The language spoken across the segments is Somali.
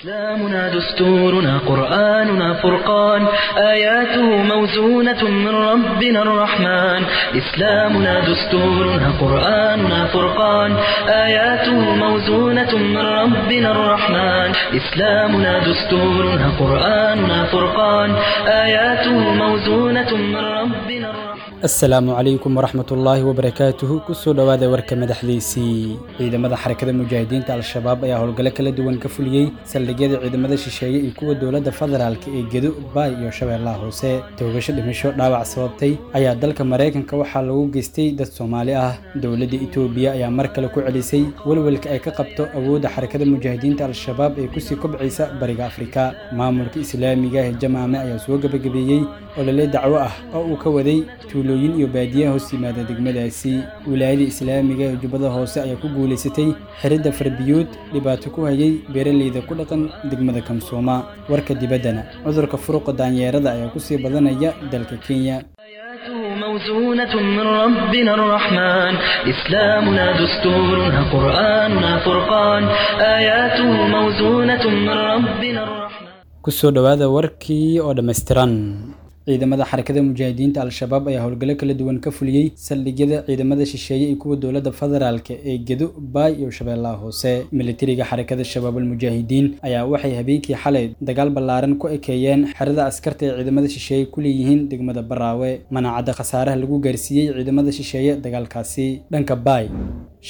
إسلامنا دستورنا قرآننا فرقان آياته موزونة من ربنا الرحمن إسلامنا دستورنا قرآننا فرقان آياته موزونة من ربنا الرحمن إسلامنا دستورنا قرآننا فرقان آياته موزونة من ربنا الرحمن. Asalaamu calaykum waraxmatullaahi wabarakaatuhu. Kusoo dhowaada warka madaxdiisii. Ciidamada Xarakada Mujaahidiinta Al-Shabaab ayaa howlgallo kala duwan ka fuliyey saldhigyada ciidamada shisheeye iyo kuwa dowladda federaalka ee Gedo, Baay iyo Shabeellaha Hoose. Toogasho dhimasho dhaawac sababtay ayaa dalka Maraykanka waxaa lagu geystay dad Soomaali ah. Dowladda Itoobiya ayaa mar kale ku celisay welwelka ay ka qabto awoodda Xarakada Mujaahidiinta Al-Shabaab ee kusii kobcaysa Bariga Afrika. Maamulka Islaamiga ah ee Jamaame ayaa soo gabagabeeyey olole dacwo ah oo uu ka waday tuulooyin iyo baadiyaha hoos yimaada degmadaasi. Wilaayada Islaamiga ee Jubbada Hoose ayaa ku guulaysatay xiridda farbiyuud dhibaato ku hayay beeraleyda ku dhaqan degmada Kamsooma. Warka dibaddana, cudurka furuqa daanyeerada ayaa kusii badanaya dalka Kenya. آياته موزونة من ربنا الرحمن إسلامنا دستورنا قرآننا فرقان آياته موزونة من ربنا الرحمن. Kusoo dhowaada warkii oo dhammaystiran. Ciidamada Xarakada Mujaahidiinta Al-Shabaab ayaa howlgallo kala duwan ka fuliyey saldhigyada ciidamada shisheeye iyo kuwa dowladda federaalka ee Gedo, Baay iyo Shabeellaha Hoose. Militariga Xarakada Shabaabul Mujaahidiin ayaa waxay habeenkii xalay dagaal ballaaran ku ekeeyeen xerada askarta ee ciidamada shisheeye ku leeyihiin degmada Baraawe. Manacadda khasaaraha lagu gaarsiiyey ciidamada shisheeye dagaalkaasi. Dhanka Baay,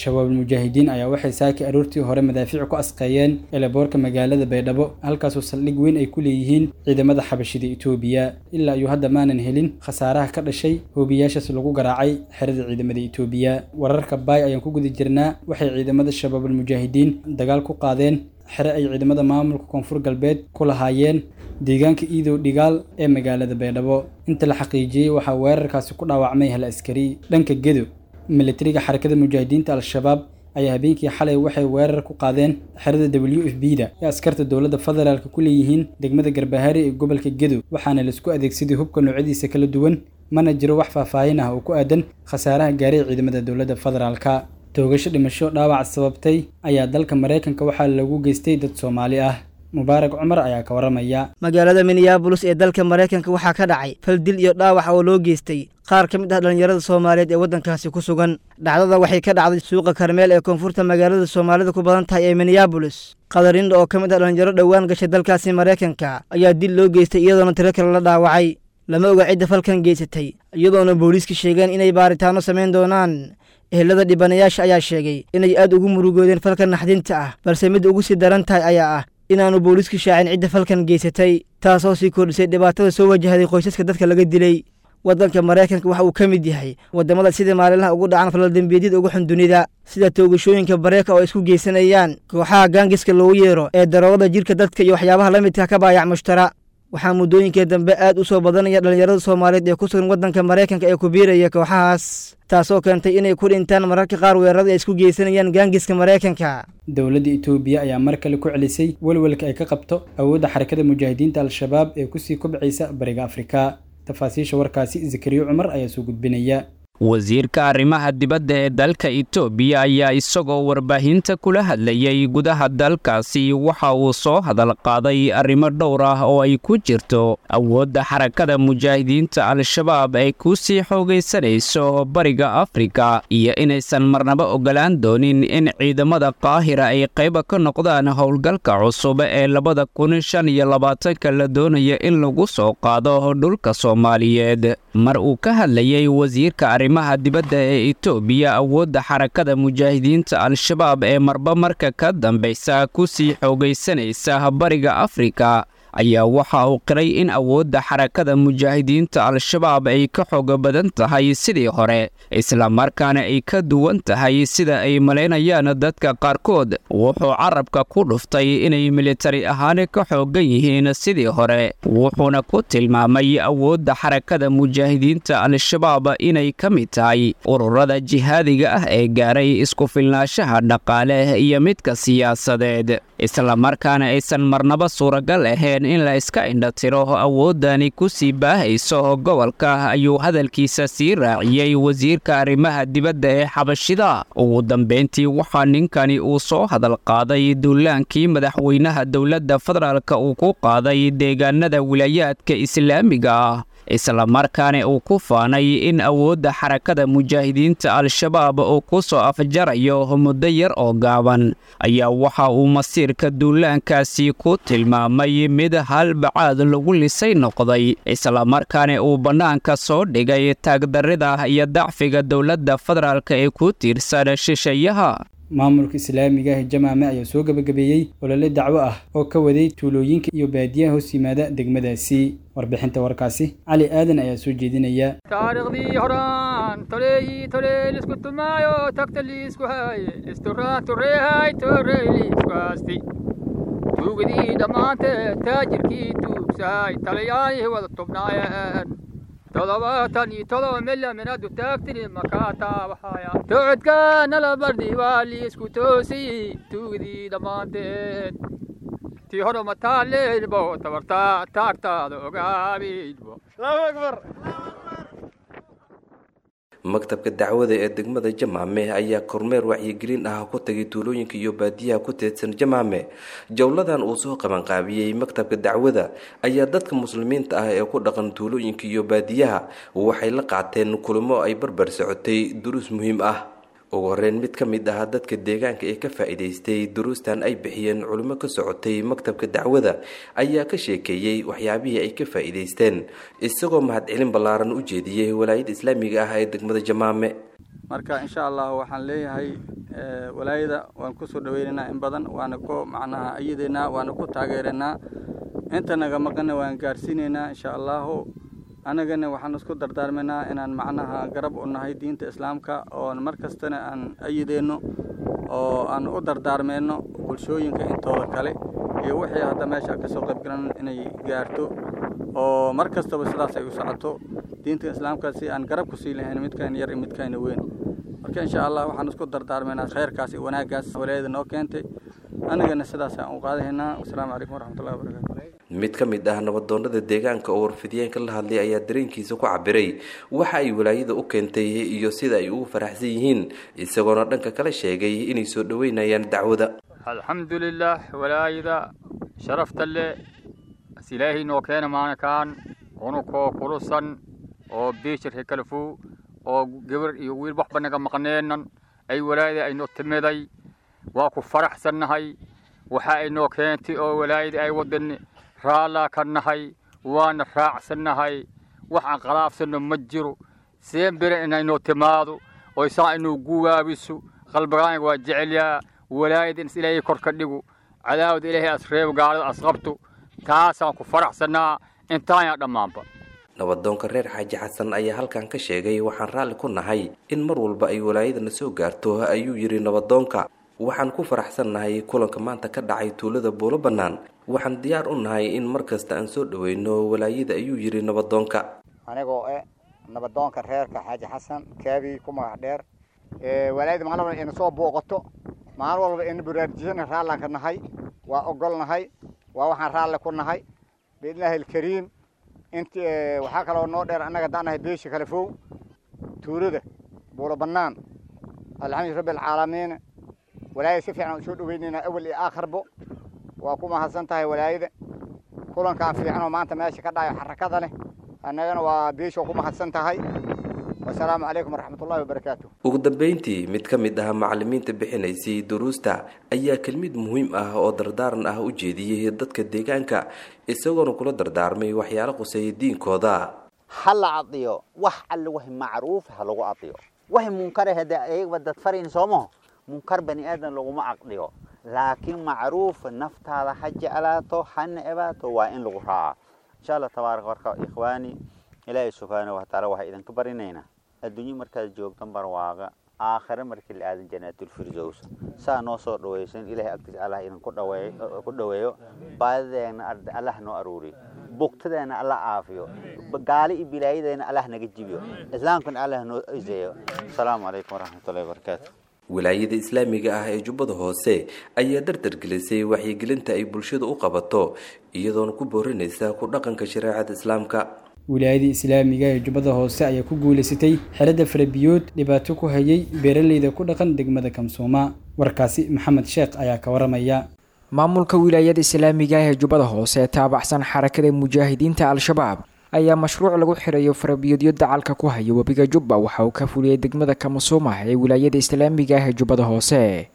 Shabaabul Mujaahidiin ayaa waxay saaki aroortii hore madaafiic ku asqeeyeen eelaboorka magaalada Baydhabo, halkaasoo saldhig weyn ay ku leeyihiin ciidamada Xabashida Itoobiya. Ilaa iyo hadda maanan helin khasaaraha ka dhashay hoobiyaashaas lagu garaacay xerada ciidamada Itoobiya. Wararka Baay ayaan ku guda jirnaa. Waxay ciidamada Shabaabul Mujaahidiin dagaal ku qaadeen xere ay ciidamada maamulka Koonfur Galbeed ku lahaayeen deegaanka Iidow Dhigaal ee magaalada Baydhabo. Inta la xaqiijiyey, waxaa weerarkaasi ku dhaawacmay hal askari. Dhanka Gedo, militariga Xarakada Mujaahidiinta Al-Shabaab ayaa habeenkii xalay waxay weerar ku qaadeen xerada WFP da ee askarta dowladda federaalka ku leeyihiin degmada Garbahaari ee gobolka Gedo, waxaana laisku adeegsaday hubka noocyadiisa kala duwan. Mana jiro wax faahfaahin ah oo ku aadan khasaaraha gaaray ciidamada dowladda federaalka. Toogasho dhimasho dhaawac sababtay ayaa dalka Maraykanka waxaa lagu geystay dad Soomaali ah. Mubaarak Cumar ayaa ka waramaya. Magaalada Minneabolis ee dalka Maraykanka waxaa ka dhacay fal dil iyo dhaawac oo loo geystay qaar ka mid ah dhallinyarada Soomaaliyeed ee waddankaasi ku sugan. Dhacdada waxay ka dhacday suuqa Karmeel ee koonfurta magaalada Soomaalida ku badan tahay ee Minneabolis. Qadarindha oo ka mid ah dhallinyaro dhowaan gashay dalkaasi Maraykanka ayaa dil loo geystay, iyadoona tiro kale la dhaawacay. Lama oga cidda falkan geysatay, iyadoona booliiska sheegeen inay baaritaanno samayn doonaan. Ehelada dhibanayaasha ayaa sheegay inay aad ugu murugoodeen falkan naxdinta ah, balse mid ugu sii daran tahay ayaa ah inaanu booliisku shaacin cidda falkan geysatay, taasoo sii kordhisay dhibaatada soo wajahday qoysaska dadka laga dilay. Waddanka Maraykanka waxa uu ka mid yahay waddamada sida maalinlaha ugu dhacan falaldembiyeedyada ugu xun dunida, sida toogashooyinka bareeka oo ay isku geysanayaan kooxaha gaangiska loogu yeero ee daroogada jirka dadka iyo waxyaabaha la midka ka baayac mushtara. Waxaa muddooyinkii dambe aad u soo badanaya dhallinyarada Soomaaliyeed ee ku sugan waddanka Maraykanka ee ku biiraya kooxahaas, taasoo keentay inay ku dhintaan mararka qaar weerarada ay isku geysanayaan gaangiska Maraykanka. Dowladda Itoobiya ayaa mar kale ku celisay welwelka ay ka qabto awoodda Xarakada Mujaahidiinta Al-Shabaab ee kusii kobcaysa Bariga Afrika. Tafaasiisha warkaasi Zakariyo Cumar ayaa soo gudbinaya. Wasiirka arrimaha dibadda ee dalka Itoobiya ayaa isagoo warbaahinta kula hadlayay gudaha dalkaasi waxa uu soo hadal qaaday arrimo dhowr ah oo ay ku jirto awoodda Xarakada Mujaahidiinta Al-Shabaab ay ku sii xoogaysanayso Bariga Afrika iyo inaysan marnaba ogolaan doonin in ciidamada Qaahira ay qayba ka noqdaan howlgalka cusub ee 2025-ka la doonaya in lagu soo qaado dhulka Soomaaliyeed. Mar uu ka hadlayay wasiirka arrimaha dibadda ee Itoobiya awoodda Xarakada Mujaahidiinta Al-Shabaab ee marba marka ka dambaysa ku sii xoogaysanaysa Bariga Afrika ayaa waxa uu qiray in awoodda Xarakada Mujaahidiinta Al-Shabaab ay ka xooga badan tahay sidii hore, islamarkaana ay ka duwan tahay sida ay malaynayaan dadka qaarkood. Wuxuu carabka ku dhuftay inay militari ahaan ka xoogan yihiin sidii hore, wuxuuna ku tilmaamay awoodda Xarakada Mujaahidiinta Al-Shabaab inay ka mid tahay ururada jihaadiga ah ee gaaray isku filnaanshaha dhaqaale iyo midka siyaasadeed, islamarkaana aysan marnaba suuragal ahayn baaqeen in la iska indhatiro awooddani ku sii baahayso gobolka, ayuu hadalkiisa sii raaciyey wasiirka arrimaha dibadda ee Xabashida. Ugu dambeyntii waxaa ninkani uu soo hadal qaaday duulaankii madaxweynaha dowladda federaalka uu ku qaaday deegaanada wilaayaadka islaamiga ah, islamarkaana uu ku faanay in awoodda Xarakada Mujaahidiinta Al-Shabaab uu ku soo afjarayo muddo yar oo gaaban, ayaa waxa uu masiirka duulaankaasi ku tilmaamay mid hal bacaad lagu lisay noqday, islamarkaana uu bannaanka soo dhigay taagdarrida iyo dacfiga dowladda federaalka ee ku tiirsan shisheeyaha. Maamulka islaamiga ah Jamaame ayaa soo gabagabeeyey olole dacwo ah oo ka waday tuulooyinka iyo baadiyaha hoos yimaada degmadaasi. Warbixinta warkaasi Cali Aadan ayaa soo jeedinaya. Taariikhdii horaan toleeyi toley lisku tumaayo tagta liisku haaye isturaan tureehay torey liisku haasti tuugadii dhammaantee taajirkii tuugsahay taliyaalihii wada tubnaayeen 77 milyan minadu taagtini makaataa waxaaya tocodkaana bardi waa liisku toosiyey tuugadii dhammaanteed tii hore mataaleynbo tabartaa taagtaada ogaabiynbo. Maktabka dacwada ee degmada Jamaame ayaa kormeer wacyigelin ah ku tagay tuulooyinka iyo baadiyaha ku teedsan Jamaame. Jowladan uu soo qabanqaabiyey maktabka dacwada ayaa dadka muslimiinta ah ee ku dhaqan tuulooyinka iyo baadiyaha waxay la qaateen kulamo ay barbar socotay duruus muhiim ah. Ugu horeyn, mid ka mid ah dadka deegaanka ee ka faa'iidaystay duruustan ay bixiyeen culimo ka socotay maktabka dacwada ayaa ka sheekeeyey waxyaabihii ay ka faa'iidaysteen, isagoo mahadcelin ballaaran u jeediyey walaayada islaamiga ah ee degmada Jamaame. Marka insha Allah waxaan leeyahay walaayada waan kusoo dhaweynaynaa in badan, waana ku macnaha ayideynaa, waana ku taageeraynaa, inta naga maqanna waan gaarsiinaynaa insha Allahu. Anagana waxaan isku dardaarmaynaa inaan macnaha garab u nahay diinta islaamka, oon mar kastana aan ayideyno oo aan u dardaarmeyno bulshooyinka intooda kale iyo wixii hadda meesha kasoo qaybgalan inay gaarto, oo mar kastaba sidaas ay u socoto diinta islaamka si aan garab kusii lahayn midkaan yar iyo midkaana weyn. Marka insha Allah waxaan isku dardaarmaynaa khayrkaas iyo wanaaggaas walaayada noo keentay, anagana sidaas aan u qaadahaynaa. Wasalaamu calaykum waraxmatullahi wabarakatu. Mid ka mid ah nabadoonada deegaanka oo warfidiyeenka la hadlay ayaa dareenkiisa ku cabiray waxa ay walaayada u keentay iyo sida ay ugu faraxsan yihiin, isagoona dhanka kale sheegay inay soo dhoweynayaan dacwada. Alxamdulilah, walaayada sharafta leh as ilaahay noo keena maanakaan unukoo kulusan oo biishirka kalafow oo gabar iyo wiil waxba naga maqneenan ay walaayada ay noo timiday, waa ku faraxsannahay. Waxa ay noo keentay oo walaayada ay wadan raallaa ka nahay, waana raacsannahay, wax aan qalaafsanno ma jiro. Seen bere inay noo timaado oo saa inuu guwaabiso qalbigaaniga waa jecelyaa. Walaayada in ilaahay kor ka dhigo, cadaawada ilaahay as reebo, gaalada as qabto, taasaan ku faraxsannaa intaanyaa dhammaanba. Nabadoonka reer Xaaji Xasan ayaa halkan ka sheegay, waxaan raalli ku nahay in mar walba ay walaayadana soo gaarto, ayuu yidhi nabadoonka. Waxaan ku faraxsannahay kulanka maanta ka dhacay tuulada Buulo Bannaan. Waxaan diyaar u nahay in mar kasta aan soo dhaweyno walaayada, ayuu yidhi nabadoonka. Anigoo eh nabadoonka reerka Xaaji Xasan Kaabi ku magac dheer, walaayada maalin walba ina soo booqato, maalin walba ina baraarujisana raallaan ka nahay, waa ogolnahay, waa waxaan raalli ku nahay biidnillaahi alkariim. Int waxaa kaloo noo dheer, annaga daanahay beesha kale fow tuulada Buulo Bannaan, alxamdu rabbi alcaalamiin, walaayada si fiican u soo dhaweynaynaa awal iyo aakharbo. Waa ku mahadsan tahay walaayada kulankaan fiican oo maanta meesha ka dhacayo xarakada leh, annagana waa beesha ku mahadsan tahay. Wasalaamu calaykum waraxmatullahi wabarakaatu. Ugu dambeyntii, mid ka mid ah macalimiinta bixinaysay duruusta ayaa kelmid muhiim ah oo dardaaran ah u jeediyey dadka deegaanka, isagoona kula dardaarmay waxyaalo quseeya diinkooda. Ha la cadiyo wax alle wax macruuf ha lagu cadiyo, wax munkar hada ayagba dad farin soomaho, munkar bani aadan laguma caqdiyo, laakiin macruuf naftaada ha jeclaato ha necbaato waa in lagu raacaa insha Allah tabaaraka. Warka ikhwaani, Ilaahay subxaanahu wa tacaala waxaa idinka barinaynaa adduunyo markaad joogtan barwaaqa, aakhire markii la aadan janaatul firdows. Saa noo soo dhawaysan, Ilaahay agtiisa Allah idinku dhaweeyo, ku dhaweeyo baadideena, Allah noo aruuriyo bugtadeena, Allah caafiyo gaali iyo bilaayadeena, Allah naga jibiyo islaamkana, Allah noo iseeyo. Asalaamu calaykum waraxmatullahi wabarakaatu. Wilaayada islaamiga ah ee Jubbada Hoose ayaa dardargelisay wacyigelinta ay bulshada u qabato, iyadoona ku boorinaysa ku dhaqanka shareecada islaamka. Wilaayada islaamiga ee Jubbada Hoose ayaa ku guulaysatay xeradda farabiyood dhibaato ku hayay beeraleyda ku dhaqan degmada Kamsooma. Warkaasi Maxamed Sheekh ayaa ka waramaya. Maamulka wilaayada islaamiga ah ee Jubbada Hoose ee taabacsan xarakada mujaahidiinta Al-Shabaab ayaa mashruuc lagu xirayo farabiyoodyo dacalka ku haya webiga Jubba waxa uu ka fuliyey degmada Kamasuuma ee wilaayada islaamiga ah ee Jubbada Hoose.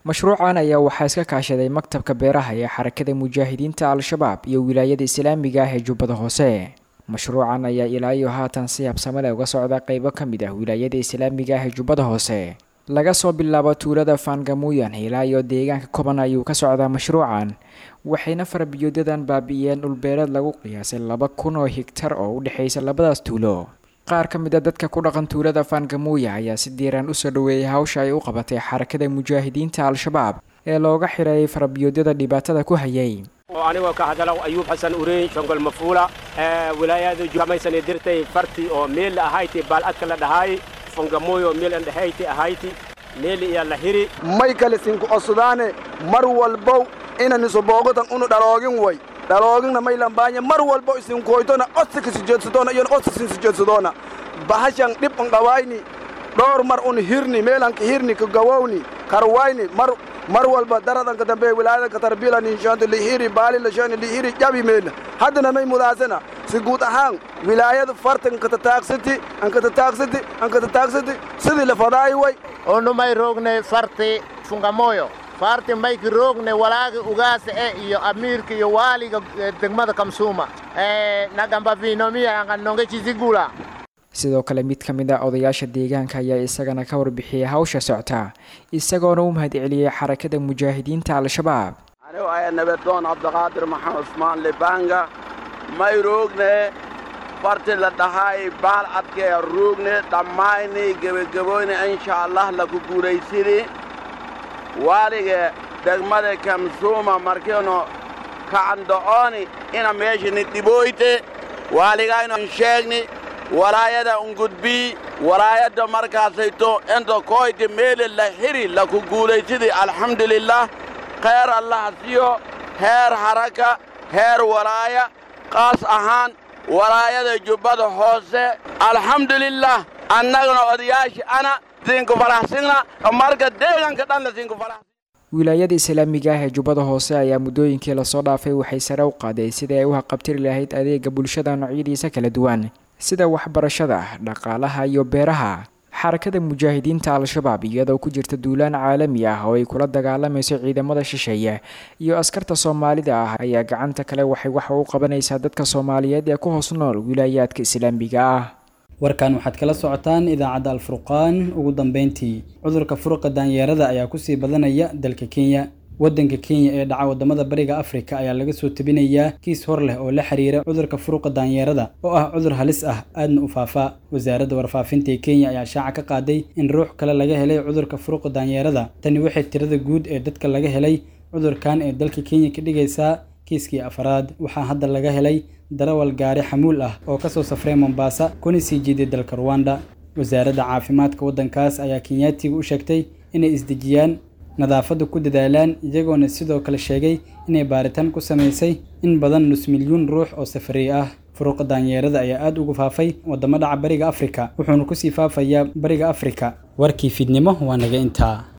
Mashruucan ayaa waxaa iska kaashaday maktabka beeraha ee xarakada mujaahidiinta Al-Shabaab iyo wilaayada islaamiga ah ee Jubbada Hoose. Mashruucan ayaa ilaa iyo haatan si habsame leh uga socda qeybo ka mid ah wilaayada islaamiga ah ee Jubbada Hoose. Laga soo bilaabo tuulada Faangamuyan ilaa iyo deegaanka Koban ayuu ka socdaa mashruucan, waxayna farabiyoodadan baabi'iyeen dhulbeereed lagu qiyaasay 2000 oo higtar oo u dhexaysa labadaas tuulo. Qaar ka mid a dadka ku dhaqan tuulada Faangamuya ayaa si diiran usoo dhaweeyay hawsha ay u qabatay xarakada mujaahidiinta Al-Shabaab ee looga xirayay farabiyoodyada dhibaatada ku hayay. Anigoo ka hadala Ayuub Xasan Ureyn Shongol Mafuula, wilaayada kamaysan dirtay farti oo meel ahayti baaladka la dhahay Fangamoyo meel an dhahayti ahayti meel iyo la hiri. May kale sinku codsadaane mar walbow inan isoboogotan unu dhaloogin way dhalooginna may lambaanya mar walbo isinkoytona codsi kasijeedsadoona iyona codsi sinsijeedsadoona bahashan dhib un dhawayni dhowr mar un hirni meelanka hirni kagawowni karwayni mar mar walba daradanka dambe wilaayadanka tarbila ninshaanto lihiri baali lashani lihiri jabi meelna haddana may mudaasana si guud ahaan wilaayada fartan katataagsati ankatataaqsati ankatataaqsati sidii la fadaay way. Onu may roogne farti Fungamoyo, farti mayki roogne walaagi ugaasa e iyo amiirka iyo waaliga degmada Kamsuuma nagamba vinomiya anganonge chizigula. Sidoo kale mid ka mid ah odayaasha deegaanka ayaa isagana ka warbixiyey hawsha socta, isagoona u mahadceliyey xarakada mujaahidiinta Al-Shabaab. Anigu ayaa nabadoon Cabdiqaadir Maxamed Cusmaan Libanga. May roogne farti la dhahay baal adkee roogne dhammayni gebagaboyni, insha Allah laku guulaysini. Waaliga degmada Kamsuuma markiinu kacando'ooni ina meeshani dhibooyte waaligaynu sheegni walaayada ungudbii walaayadda markaasayto inta koyte meeli la xiri laku guulaysidi, alxamdulilah. Khayr Allah siyo heer haraka heer walaaya, qaas ahaan walaayada Jubbada Hoose, alxamdulilah. Annagana odayaasha ana sinku faraxsina marka deegaanka dhanna sinku farax. Wilaayada islaamiga ah ee Jubbada Hoose ayaa muddooyinkii lasoo dhaafay waxay sare u qaaday sidii ay u haqabtiri lahayd adeega bulshada noocyadiisa kala duwan, sida waxbarashada, dhaqaalaha iyo beeraha. Xarakada mujaahidiinta Al-Shabaab iyadoo ku jirta duulaan caalami ah oo ay kula dagaalamayso ciidamada shisheeye iyo askarta Soomaalida ah ayaa gacanta kale waxay wax u qabanaysaa dadka Soomaaliyeed ee ku hoos nool wilaayaadka islaamiga ah. Warkan waxaad kala socotaan idaacadda Alfurqaan. Ugu dambeyntii, cudurka furuqa daanyeerada ayaa kusii badanaya dalka Kenya. Waddanka Kenya ee dhaca waddamada Bariga Afrika ayaa laga soo tebinayaa kiis hor leh oo la xiriira cudurka furuqa daanyeerada oo ah cudur halis ah aadna u faafa. Wasaaradda warfaafinta ee Kenya ayaa shaaca ka qaaday in ruux kale laga helay cudurka furuqa daanyeerada. Tani waxay tirada guud ee dadka laga helay cudurkan ee dalka Kenya ka dhigaysaa kiiskii afaraad. Waxaa hadda laga helay darawal gaari xamuul ah oo kasoo safray Mombasa kuna sii jeeday dalka Rwanda. Wasaaradda caafimaadka waddankaas ayaa Kenyaatiga u sheegtay inay isdejiyaan, nadaafadda ku dadaalaan, iyagoona sidoo kale sheegay inay baaritaan ku samaysay in badan nus milyuun ruux oo safarey ah. Furuqa daanyeerada ayaa aad ugu faafay waddamo dhaca Bariga Afrika, wuxuuna kusii faafayaa Bariga Afrika. Warkii fiidnimo waa naga intaa.